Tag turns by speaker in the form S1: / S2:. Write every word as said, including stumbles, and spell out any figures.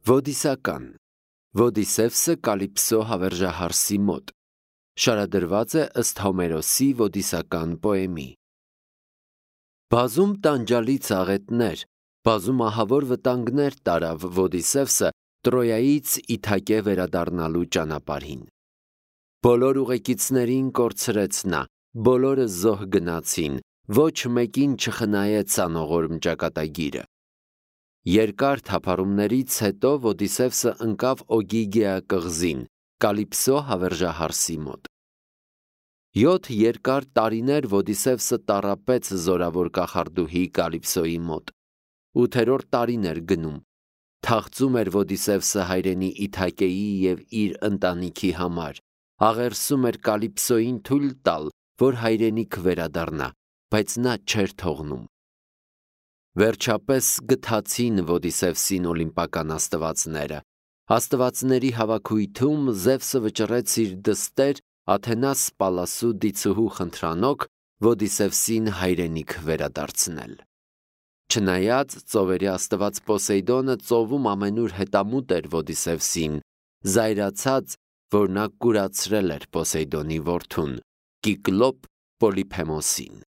S1: Ոդիսական Ոդիսևսը Կալիպսո հավերժահարսի մոտ շարադրված է ըստ Հոմերոսի ոդիսական պոեմի։ Բազում տանջալի ծաղետներ, բազում ահավոր վտանգներ տարավ Ոդիսևսը Տրոյայից Իթակե վերադառնալու ճանապարհին։ Բոլոր ուղեկիցներին կորցրեց նա, բոլորը զոհ գնացին, ոչ մեկին չխնայեց անողորմ ճակատագիրը։ Երկար թափառումներից հետո Ոդիսևսը ընկավ Օգիգեա կղզին, Կալիպսո հավերժահարսի մոտ։ Յոթ երկար տարիներ Ոդիսևսը տառապեց զորավոր կախարդուհի Կալիպսոյի մոտ։ Ութերորդ տարին էր գնում։ Թախծում էր Ոդիսևսը հայրենի Իթակեի և իր ընտանիքի համար, աղերսում էր Կալիպսոյին թույլ տալ, որ հայրենիք վերադառնա, բայց նա չէր թողնում։ Վերջապես գթացին Ոդիսևսին օլիմպական աստվածները։ Աստվածների հավաքույթում Զևսը վճռեց իր դստեր Աթենաս Պալասու դիցուհու խնդրանոք Ոդիսևսին հայրենիք վերադարձնել։ Չնայած ծովերի աստված Պոսեյդոնը ծովում ամենուր հետամուտ էր Ոդիսևսին, զայրացած, որ նա կուրացրել էր Պոսեյդոնի որդուն՝ Կիկլոպ Պոլիփեմոսին։